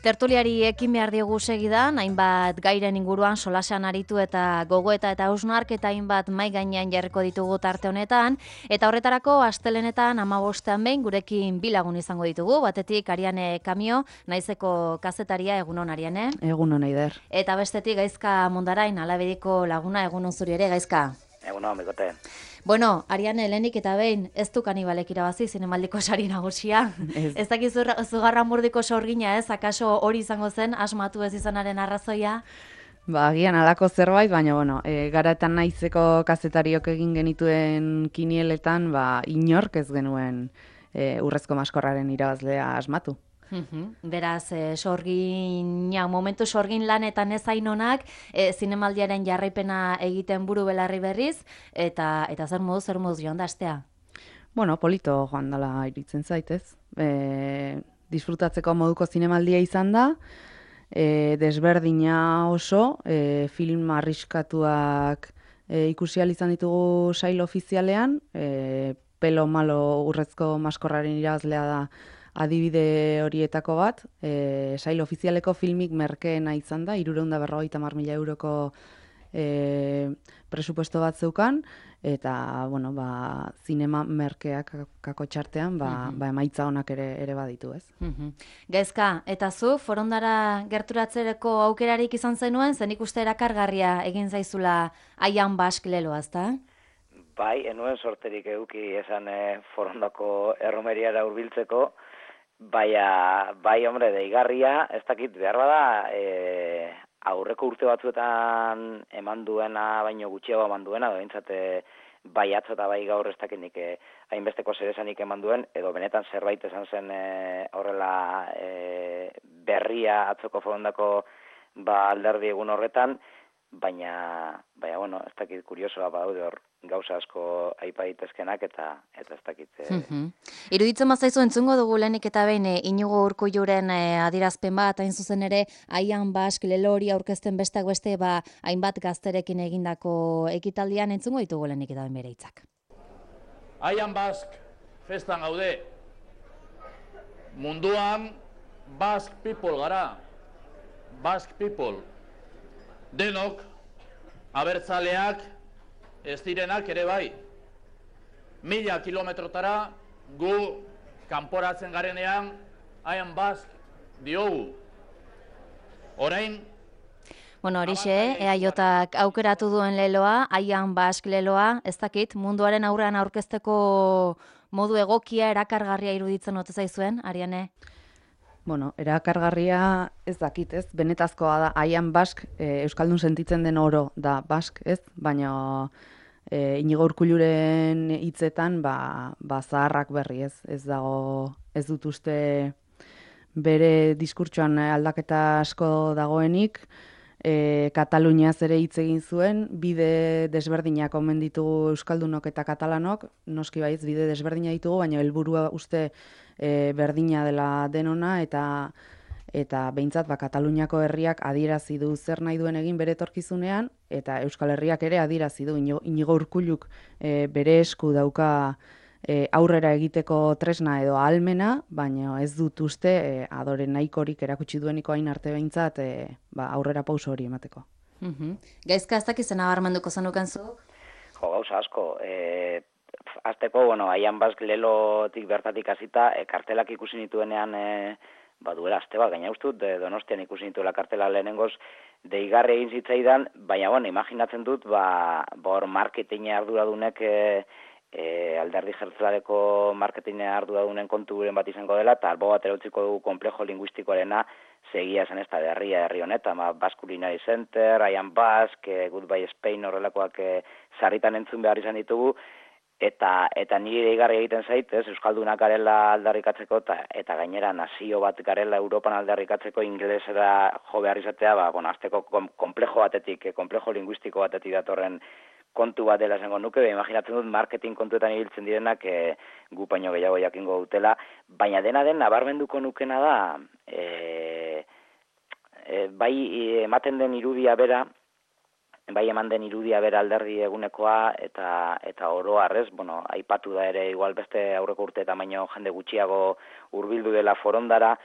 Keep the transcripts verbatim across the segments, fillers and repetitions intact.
Tertuliari ekin behar diogu segidan, hainbat gairen inguruan solasean aritu eta gogoeta eta hausnarketa hainbat mai gainean jarriko ditugu tarte honetan, eta horretarako astelenetan hamabostean behin gurekin bi lagun izango ditugu, batetik Ariane Kamio, naizeko kazetaria, egunon Ariane. Egunon Eider. Eta bestetik Gaizka Mundarain, Alabediko laguna, egunon zuri ere, Gaizka. Egunon, bikote. Bueno, Ariane, lehenik eta behin, ez du Kanibalek irabazi zinemaldiko sari nagusia. Ez, ez dakizu Zugarramurdiko sorgina ez, akaso hori izango zen, asmatu ez izanaren arrazoia? Ba, agian alako zerbait, baina, bueno, e, garaetan naizeko kazetariok egin genituen kinieletan, ba, inork ez genuen e, urrezko maskorraren irabazlea asmatu. Uhum. Beraz, e, sorgina, momentu sorgin lanetan ez ainonak, e, zinemaldiaren jarraipena egiten buru belarri berriz, eta eta zer modu, zer modu joan da astea? Bueno, polito joan dela iritzen zaitez. E, disfrutatzeko moduko zinemaldia izan da, e, desberdina oso, e, film arriskatuak e, ikusi ahal izan ditugu sail ofizialean, e, pelo malo urrezko maskorraren irabazlea da adibide horietako bat, e, sail ofizialeko filmik merkeena izan da, hirurehun eta berrogeita hamar mila euroko e, presupuesto bat zeukan, eta, bueno, ba, zinema merkeak kako txartean, ba, uh-huh. ba, emaitza honak ere, ere baditu, ez? Uh-huh. Gaizka, eta zu, forondara gerturatzereko aukerarik izan zenuen, zen ikuste erakargarria egin zaizula Aian Bask leloa, ezta? Bai, enuen sorterik eduki esan e, forondako erromeriara hurbiltzeko, Baina, bai, hombre, deigarria, ez dakit, behar bada, e, aurreko urte batzuetan eman duena, baino gutxiago eman duena, da bintzate, bai atzo eta bai gaur ez dakit nik e, hainbesteko zeresanik eman duen, edo benetan zerbait esan zen e, horrela e, berria atzoko forondako ba, alderdi egun horretan, baina, baina, bueno, ez dakit kuriosoa badaude hor, gauza asko aipa daitezkenak eta eta ez dakit. E... Mm-hmm. Iruditzen bazaizu entzungo dugu lehenik eta behin e, Inigo Urkulluren e, adierazpen bat, hain zuzen ere Aian Bask lelori aurkezten besteak beste ba hainbat gazterekin egindako ekitaldian entzungo ditugu lehenik eta behin bere hitzak. Aian Bask festan gaude. Munduan Bask people gara. Bask people. Denok abertzaleak ez direnak ere bai. Mila kilometrotara gu kanporatzen garenean Aian Bask diogu. Orain... Bueno, horixe, E A Jak aukeratu duen leloa, Aian Bask leloa, ez dakit, munduaren aurrean aurkezteko modu egokia, erakargarria iruditzen ote zaizuen, Ariane? Bueno, erakargarria ez dakit, ez? Benetazkoa da, Aian Bask, e, Euskaldun sentitzen den oro da Bask, ez? Baina... E, Inigo Urkulluren hitzetan ba, ba zaharrak berri, ez ez dago, ez dut uste bere diskurtsoan aldaketa asko dagoenik. e, Kataluniaz ere hitz egin zuen, bide desberdinak omen ditugu euskaldunok eta katalanok, noski baiz bide desberdina ditugu, baina helburua uste e, berdina dela denona, eta eta behintzat ba, Kataluniako herriak adierazi du zer nahi duen egin bere etorkizunean, eta Euskal Herriak ere adierazi du Inigo Urkulluk e, bere esku dauka e, aurrera egiteko tresna edo ahalmena, baina ez dut uste e, adore nahikorik erakutsi dueniko hain arte behintzat e, ba, aurrera pauso hori emateko. Uh-huh. Gaizka ez dakizen abarmenduko zenuken zu? Jo, gauza asko. E, azteko, bueno, Aian Bask lelotik bertatik hasita, e, kartelak ikusi nituenean... E, ba duela aste bat, gaina ustut, Donostian ikusi nituela kartela lehenengoz, deigarri egin zitzaidan, baina bueno, imaginatzen dut, ba, hor marketing arduradunek, e, e, alderdi jeltzalerako marketing arduradunen konturen bat izango dela, eta albo bat erautziko dugu komplejo linguistikoarena, segia zen ez da herria herri honetan, ba, Basque Culinary Center, Aian Bask, e, Goodbye Spain horrelakoak e, sarritan entzun behar izan ditugu, Eta eta nire deigarri egiten zait, ez, euskaldunak garela aldarrikatzeko eta, eta gainera nazio bat garela Europan aldarrikatzeko ingelesera jo behar izatea, ba, bueno, azteko kom, komplejo batetik, komplejo linguistiko batetik datorren kontu bat dela esango nuke, imaginatzen dut marketing kontuetan ibiltzen direnak e, gu paino gehiago jakingo dutela, baina dena den nabarmenduko nukena da, e, e, bai ematen den irudia bera, bai eman den irudia bera alderdi egunekoa eta eta oro harrez, bueno, aipatu da ere igual beste aurreko urte eta baino jende gutxiago hurbildu dela forondara,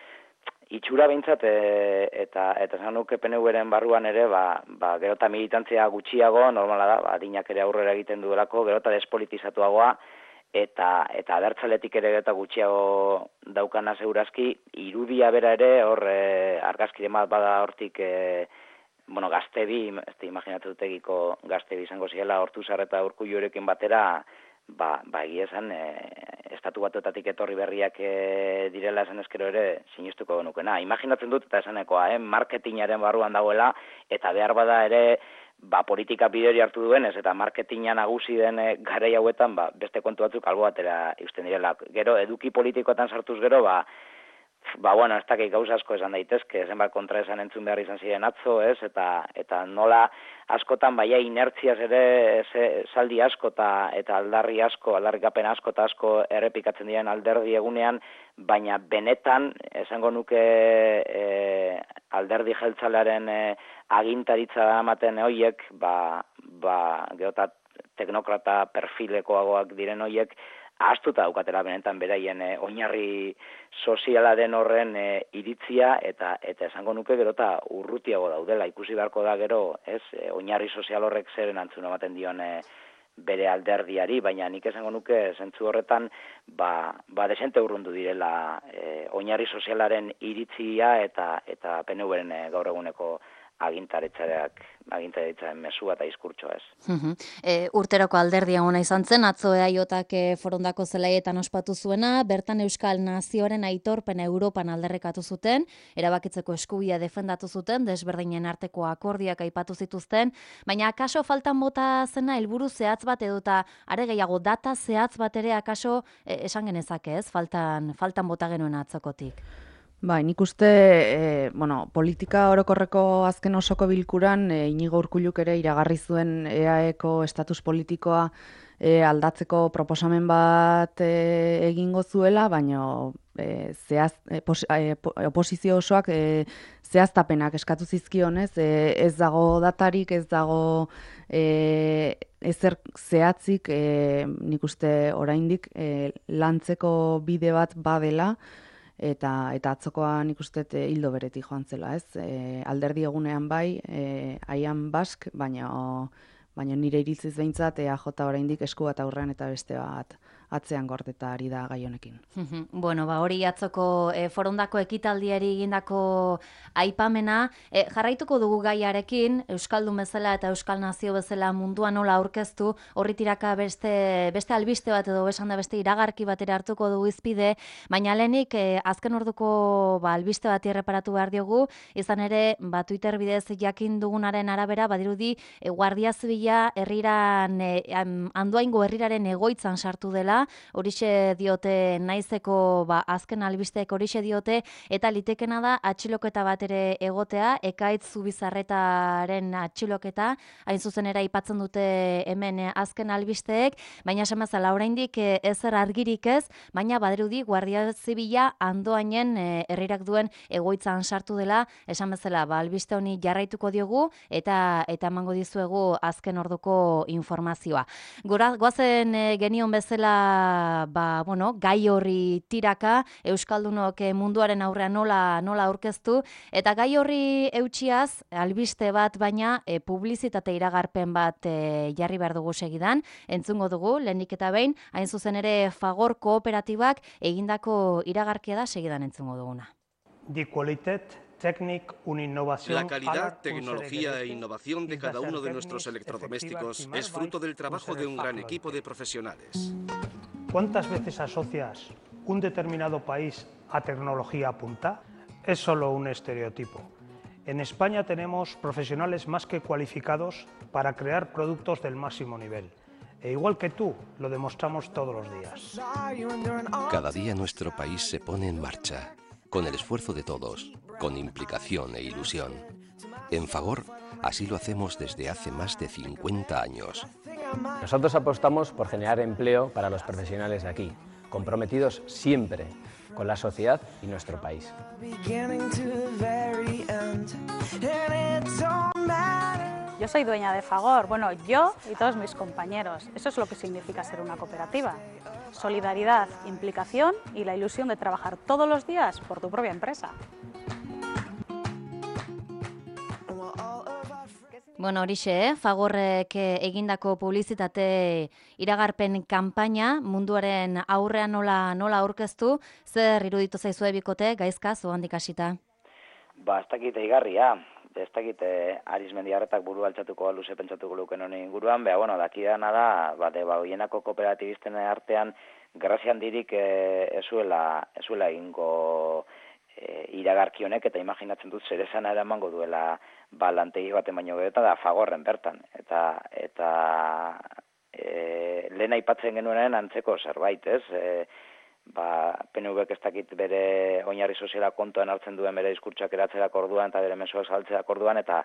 itxura behintzat, e, eta eta esan nuke P N V-ren barruan ere, ba, ba, gero eta militantzia gutxiago, normala da, ba, adinak ere aurrera egiten duelako, gero eta despolitizatuagoa, eta eta abertzaletik ere eta gutxiago daukana segurazki, irudia bera ere, hor e, argazkire bat bada hortik, e, bueno, gaztebi, ez da imaginatzen dutegiko gaztebi izango ziela, Ortuzar eta Urkullurekin batera, ba, ba egia esan, e, estatu batuetatik etorri berriak e, direla esan ezkero ere sinistuko genukena. Imaginatzen dut eta esanekoa, eh, marketingaren barruan dagoela, eta behar bada ere, ba, politika bideri hartu duenez, eta marketinga nagusi den e, garai hauetan, ba, beste kontu batzuk albo batera eusten direla. Gero, eduki politikoetan sartuz gero, ba, Ba, bueno, ez dakik gauza asko esan daitezke, zenbat kontra esan entzun behar izan ziren atzo, ez, eta eta nola askotan, baia inertziaz ere ze, saldi asko eta, eta aldarri asko, aldarrikapen asko eta asko errepikatzen diren alderdi egunean, baina benetan, esango nuke e, alderdi jeltzalearen e, agintaritza da ematen hoiek, ba, ba, geota teknokrata perfilekoagoak diren hoiek, ahaztuta daukatela benetan beraien e, oinarri soziala den horren e, iritzia eta eta esango nuke gero eta urrutiago daudela. Ikusi beharko da gero, ez, e, oinarri sozial horrek zeren antzun ematen dion e, bere alderdiari, baina nik esango nuke zentzu horretan ba, ba desente urrundu direla e, oinarri sozialaren iritzia eta eta P N V-ren e, gaur eguneko agintaritzaren agintaritzaren mesua eta diskurtsoa ez. Uh-huh. E, urteroko alderdia ona izan zen, atzo E A J-ak forondako zelaietan ospatu zuena, bertan Euskal Nazioaren aitorpena Europan alderrekatu zuten, erabakitzeko eskubia defendatu zuten, desberdinen arteko akordiak aipatu zituzten, baina akaso faltan bota zena helburu zehatz bat edota are gehiago data zehatz bat ere akaso e, esan genezake ez, faltan, faltan bota genuen atzokotik. Bai, nik uste, e, bueno, politika orokorreko azken osoko bilkuran, e, Inigo Urkulluk ere iragarri zuen E A E-ko estatus politikoa e, aldatzeko proposamen bat e, egingo zuela, baina e, zehaz, e, pos, e, oposizio osoak e, zehaztapenak eskatu zizkionez, e, ez dago datarik, ez dago e, ezer zehatzik, e, nik uste oraindik e, lantzeko bide bat badela, Eta, eta atzokoa nik uste hildo beretik joan zela, ez? E, alderdi egunean bai, e, aian bask, baina, baina nire iritziz behintzat E A J oraindik esku bat aurrean eta beste bat atzean gordeta ari da gai honekin. Bueno, ba hori atzoko e, forondako ekitaldiari egindako aipamena, e, jarraituko dugu gaiarekin, Euskaldun bezala eta Euskal Nazio bezala mundua nola aurkeztu, horri tiraka beste, beste albiste bat edo besan da beste iragarki batera hartuko dugu izpide, baina lehenik e, azken orduko ba, albiste bat erreparatu behar diogu, izan ere, ba, Twitter bidez jakin dugunaren arabera, badirudi, e, Guardia Zibila herriran, e, Andoaingo herriraren egoitzan sartu dela, horixe diote naizeko ba, azken albisteek horixe diote, eta litekena da atxiloketa bat ere egotea, Ekaitz Zubizarretaren atxiloketa, hain zuzen ere aipatzen dute hemen azken albisteek, baina esan bezala oraindik ezer argirik ez, baina badirudi Guardia Zibila Andoainen herrirak duen egoitzan sartu dela, esan bezala ba, albiste honi jarraituko diogu, eta eta emango dizuegu azken orduko informazioa. Gora, goazen e, genion bezala ba, bueno, gai horri tiraka, Euskaldunok munduaren aurrean nola, nola aurkeztu, eta gai horri eutxiaz, albiste bat baina e, publizitate iragarpen bat e, jarri behar dugu segidan, entzungo dugu, lehenik eta behin, hain zuzen ere Fagor kooperatibak egindako iragarkia da segidan entzungo duguna. Di qualitat La calidad, tecnología e innovación de cada uno de nuestros electrodomésticos es fruto del trabajo de un gran equipo de profesionales. ¿Cuántas veces asocias un determinado país a tecnología punta? Es solo un estereotipo. En España tenemos profesionales más que cualificados para crear productos del máximo nivel. E igual que tú, lo demostramos todos los días. Cada día nuestro país se pone en marcha, con el esfuerzo de todos, con implicación e ilusión. En Fagor, así lo hacemos desde hace más de cincuenta años. Nosotros apostamos por generar empleo para los profesionales de aquí, comprometidos siempre con la sociedad y nuestro país. yo soy dueña de Fagor, bueno, yo y todos mis compañeros. Eso es lo que significa ser una cooperativa. Solidaridad, implicación y la ilusión de trabajar todos los días por tu propia empresa. Bueno, horixe, eh? Fagorrek egindako publizitate iragarpen kanpaina munduaren aurrean nola nola aurkeztu, zer iruditu zaizue bikote, Gaizka, zuhandik hasita? Ba, ez dakit eigarria, ez dakit Arizmendiarretak buru altxatuko luze pentsatuko luken honen inguruan, beha, bueno, dakidana da, bate, ba, hoienako kooperatibisten artean, grazian dirik ezuela, ezuela ingo e, iragarki honek, eta imaginatzen dut zer esana eramango duela ba, lantegi baten baino gehieta da Fagorren bertan, eta, eta e, lehen aipatzen genuenen antzeko zerbait, ez? E, ba, P N Vek ez dakit bere oinarri soziala kontuan hartzen duen bere diskurtsak eratzerak orduan eta bere mezuak saltzerak orduan eta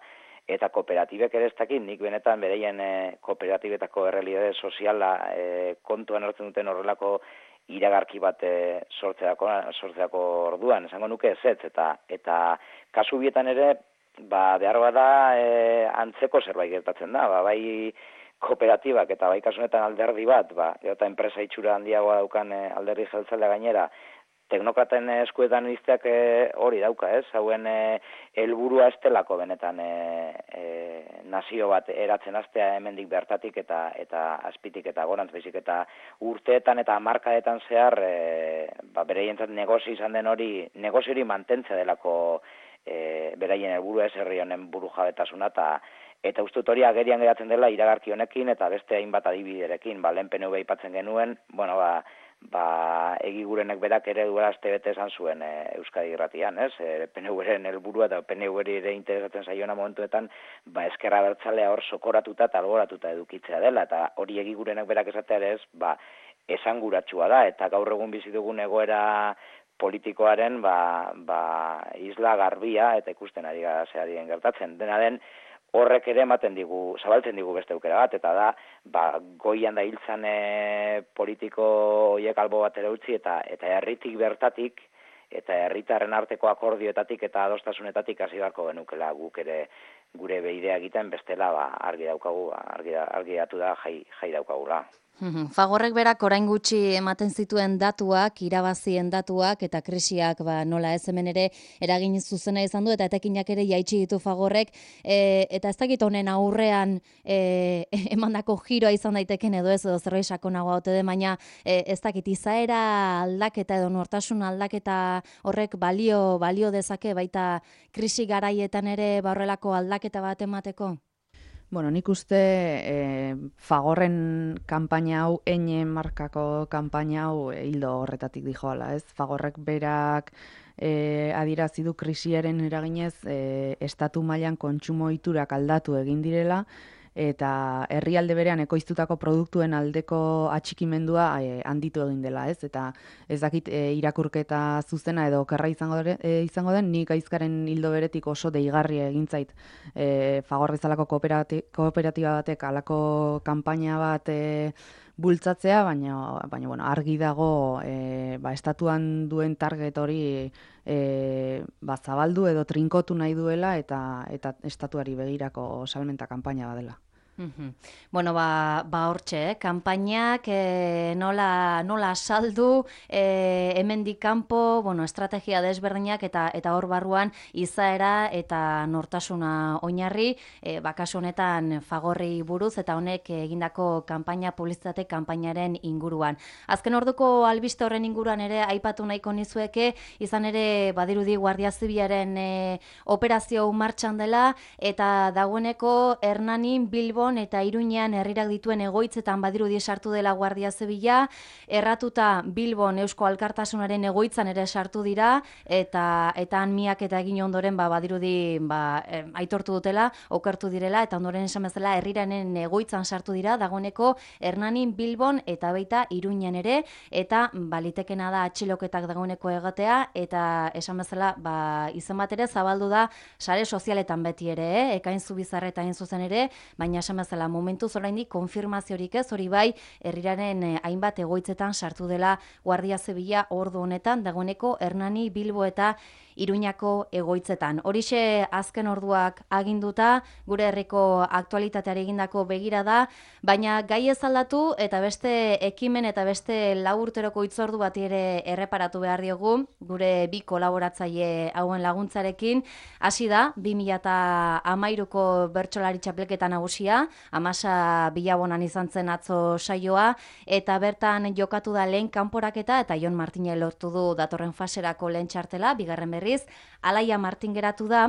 eta kooperatibek ere ez dakit nik benetan bereien e, kooperatibetako errealitate soziala e, kontuan hartzen duten horrelako iragarki bat e, sortzeako, sortzeako orduan, esango nuke ezetz eta eta kasu bietan ere ba behar bada e, antzeko zerbait gertatzen da, ba, bai kooperatibak eta bai kasunetan alderdi bat, ba, eta enpresa itxura handiagoa daukan e, alderdi jeltzalea gainera, teknokraten eskuetan izteak e, hori dauka, ez? Hauen e, helburua estelako benetan e, e, nazio bat eratzen hastea hemendik bertatik eta eta azpitik eta gorantz baizik eta urteetan eta hamarkadetan zehar e, ba, bereientzat negozio izan den hori, negozio hori mantentzea delako e, beraien helburua ez herri honen burujabetasuna eta Eta uste dut hori agerian geratzen dela iragarki honekin eta beste hainbat adibiderekin. Ba, lehen P N V aipatzen genuen, bueno, ba, ba, egigurenek berak ere duela aste bete esan zuen e, Euskadi irratian, ez? E, P N V-ren helburua eta P N V-ri ere interesatzen zaiona momentuetan, ba, ezkerra bertzalea hor sokoratuta eta alboratuta edukitzea dela, eta hori egigurenek berak esatea ere ez, ba, esanguratsua da, eta gaur egun bizi dugun egoera politikoaren, ba, ba, isla garbia, eta ikusten ari gara zehadien gertatzen. Dena den, horrek ere ematen digu, zabaltzen digu beste aukera bat, eta da, ba, goian da hiltzan e, politiko horiek albo batera utzi, eta eta herritik bertatik, eta herritarren arteko akordioetatik eta adostasunetatik hasi beharko genukela guk ere gure beidea egiten bestela ba, argi daukagu, argi, argi datu da jai, jai daukagula. Fagorrek berak orain gutxi ematen zituen datuak, irabazien datuak eta krisiak ba, nola ez hemen ere eragin zuzena izan du eta etekinak ere jaitsi ditu Fagorrek e, eta ez dakit honen aurrean e, emandako giroa izan daiteken edo ez edo zerbait sakonagoa ote den, baina e, ez dakit izaera aldaketa edo nortasun aldaketa horrek balio balio dezake baita krisi garaietan ere ba horrelako aldaketa bat emateko? Bueno, nik uste e, Fagorren kanpaina hau, Eine markako kanpaina hau e, hildo horretatik dijoala, ez? Fagorrek berak e, adirazi du krisiaren eraginez e, estatu mailan kontsumo ohiturak aldatu egin direla eta herrialde berean ekoiztutako produktuen aldeko atxikimendua e, handitu egin dela, ez? Eta ez dakit e, irakurketa zuzena edo okerra izango, e, izango den, nik Gaizkaren hildo beretik oso deigarria egin zait e, Fagor bezalako kooperati, kooperatiba batek alako kanpaina bat e, bultzatzea, baina, baina bueno, argi dago e, ba, estatuan duen target hori e, ba, zabaldu edo trinkotu nahi duela eta, eta estatuari begirako salmenta kanpaina badela. Mm-hmm. Bueno, ba, ba hortxe, eh? Kanpainak eh, nola, nola saldu, eh, hemendik kanpo, bueno, estrategia desberdinak eta eta hor barruan izaera eta nortasuna oinarri, eh, bakasu honetan Fagorri buruz eta honek egindako kanpaina publizitate kanpainaren inguruan. Azken orduko albiste horren inguruan ere aipatu nahiko nizueke, izan ere badirudi Guardia Zibilaren eh, operazio martxan dela eta dagoeneko Hernanin, Bilbon eta Iruñean herrirak dituen egoitzetan badirudi sartu dela Guardia Zibila, erratuta Bilbon Eusko Alkartasunaren egoitzan ere sartu dira eta eta han miak eta egin ondoren ba badirudi ba eh, aitortu dutela, okertu direla eta ondoren esan bezala herriranen egoitzan sartu dira dagoeneko Hernanin, Bilbon eta baita Iruñean ere eta balitekena da atxiloketak dagoeneko egatea eta esan bezala ba izen bat ere zabaldu da sare sozialetan beti ere, eh? Ekain Zubizarreta hain zuzen ere, baina esan bezala momentuz oraindik konfirmaziorik ez, hori bai herriraren eh, hainbat egoitzetan sartu dela Guardia Zibila ordu honetan dagoeneko Hernani, Bilbo eta Iruñako egoitzetan. Horixe azken orduak aginduta, gure herriko aktualitateari egindako begira da, baina gai ez aldatu eta beste ekimen eta beste lau urteroko hitzordu bati ere erreparatu behar diogu, gure bi kolaboratzaile hauen laguntzarekin. Hasi da, bi mila hamairuko bertsolari txapelketa nagusia, Amasa Bilabonan izan zen atzo saioa, eta bertan jokatu da lehen kanporaketa eta Jon Martine lortu du datorren faserako lehen txartela, bigarren berriz, Alaia Martin geratu da,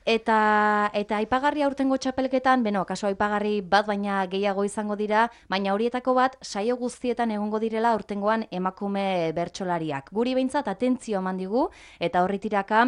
eta eta aipagarri aurtengo txapelketan, beno, kaso aipagarri bat baina gehiago izango dira, baina horietako bat saio guztietan egongo direla aurtengoan emakume bertsolariak. Guri behintzat atentzio eman digu, eta horri tiraka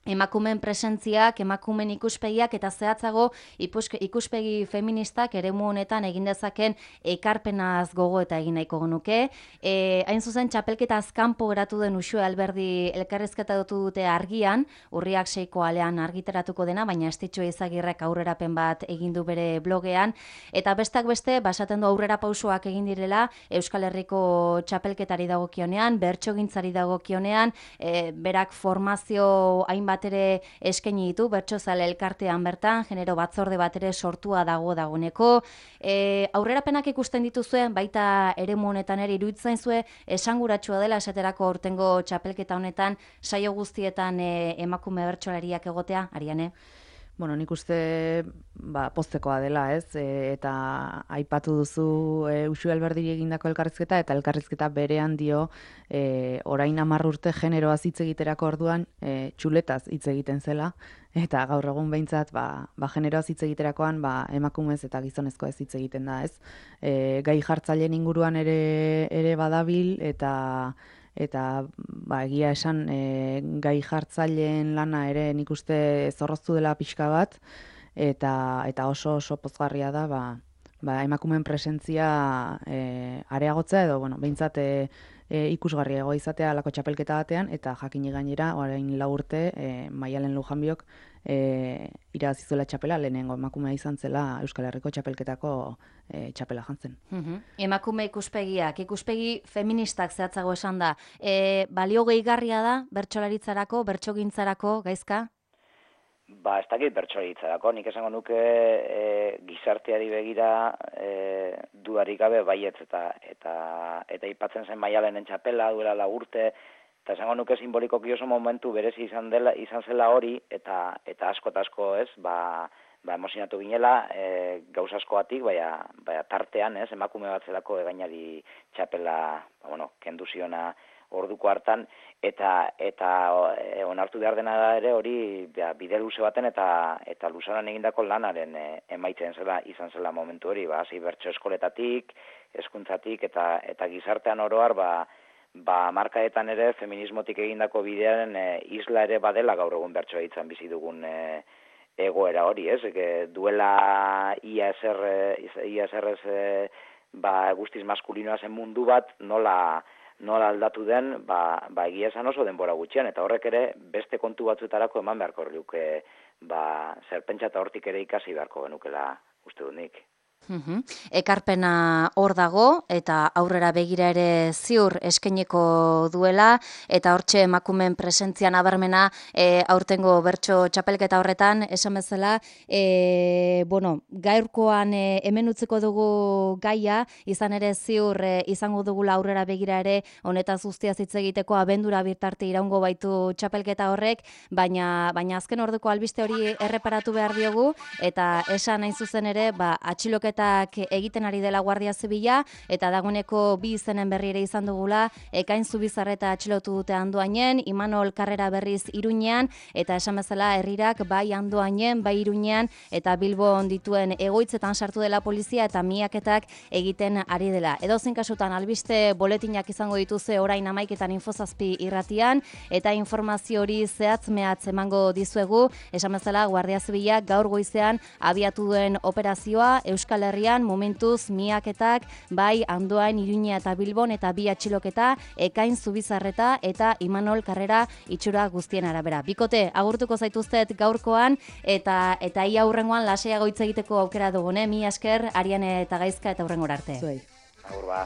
emakumeen presentziak, emakumeen ikuspegiak eta zehatzago ikuspegi feministak eremu honetan egin dezaken ekarpenaz gogo eta egin nahiko genuke. E, hain zuzen txapelketa azkanpo geratu den Uxue Alberdi elkarrizketa dutu dute argian, urriak seiko alean argitaratuko dena, baina Estitxo Izagirrek aurrerapen bat egin du bere blogean, eta bestak beste basaten du aurrera pausoak egin direla Euskal Herriko txapelketari dagokionean, bertsogintzari dagokionean, e, berak formazio hainbat bat ere eskaini ditu, bertsozale elkartean bertan, genero batzorde bat ere sortua dago dagoeneko. E, aurrerapenak ikusten dituzuen, baita eremu honetan ere iruditzen zuen, esanguratsua dela esaterako aurtengo txapelketa honetan, saio guztietan e, emakume bertsolariak egotea, Ariane? Bueno, nik uste ba, poztekoa dela, ez? E, eta aipatu duzu e, Uxue Alberdi egindako elkarrizketa, eta elkarrizketa berean dio e, orain hamar urte generoaz hitz egiterako orduan e, txuletaz hitz egiten zela, eta gaur egun behintzat ba, ba, generoaz hitz egiterakoan ba, emakumez eta gizonezko ez hitz egiten da, ez? E, gai jartzaileen inguruan ere, ere badabil, eta eta ba, egia esan e, gai jartzaileen lana ere nik uste zorroztu dela pixka bat, eta eta oso oso pozgarria da ba, ba, emakumeen presentzia e, areagotzea edo bueno, behintzat e, e, ikusgarriago izatea alako txapelketa batean, eta jakini gainera orain lau urte e, Maialen Lujanbiok e, irabazi zuela txapela, lehenengo emakumea izan zela Euskal Herriko txapelketako e, txapela jantzen. Uhum. Emakume ikuspegiak, ikuspegi feministak zehatzago esan da. E, balio gehigarria da bertsolaritzarako, bertsogintzarako, Gaizka? Ba, ez dakit bertsolaritzarako, nik esango nuke e, gizarteari begira e, dudarik gabe baietz eta eta eta aipatzen zen Maialenen txapela duela lau urte, eta esango nuke simbolikoki oso momentu berezi izan dela, izan zela hori, eta eta asko eta asko, ez, ba, ba emozionatu ginela, e, gauz askoatik, baina baina tartean, ez, emakume bat zelako egainari txapela, ba, bueno, kendu ziona orduko hartan, eta eta e, onartu behar dena da ere hori ba, bide luze baten eta eta luzaran egindako lanaren e, emaitzen zela izan zela momentu hori, ba, hasi bertso eskoletatik, hezkuntzatik eta eta gizartean oro har, ba ba markaetan ere feminismotik egindako bidearen e, isla ere badela gaur egun bertsoa hitzan bizi dugun e, egoera hori, ez? E, duela ia ezer ia ezer e, ba guztiz maskulinoa zen mundu bat nola nola aldatu den, ba, ba egia esan oso denbora gutxian, eta horrek ere beste kontu batzuetarako eman beharko luke, ba zer pentsa eta hortik ere ikasi beharko genukela uste dut nik. Uhum. Ekarpena hor dago eta aurrera begira ere ziur eskaineko duela, eta hortxe emakumeen presentzia nabarmena e, aurtengo bertso txapelketa horretan, esan bezala, e, bueno, gaurkoan e, hemen utziko dugu gaia, izan ere ziur e, izango dugula aurrera begira ere honetaz guztiaz hitz egiteko abendura birtarte iraungo baitu txapelketa horrek, baina baina azken orduko albiste hori erreparatu behar diogu, eta esan hain zuzen ere, ba, atxiloke egiten ari dela Guardia Zibila, eta dagoeneko bi izenen berri ere izan dugula, Ekain Zubizarreta atxilotu dute Andoainen, Imanol Karrera berriz Iruñean, eta esan bezala herrirak bai Andoainen, bai Iruñean, eta Bilbon dituen egoitzetan sartu dela polizia, eta miaketak egiten ari dela. Edozein kasutan albiste boletinak izango dituzue orain hamaiketan Infozazpi irratian, eta informazio hori zehatz mehatz emango dizuegu, esan bezala Guardia Zibila gaur goizean abiatu duen operazioa Euskal Herrian momentuz miaketak bai Andoain, Iruña eta Bilbon, eta bi atxiloketa Ekain Zubizarreta eta Imanol Karrera itxura guztien arabera. Bikote, agurtuko zaituztet gaurkoan, eta eta ia aurrengoan lasaiago hitz egiteko aukera dugune. Mi esker, Ariane eta Gaizka, eta aurrengora arte. Zuei. Agur ba.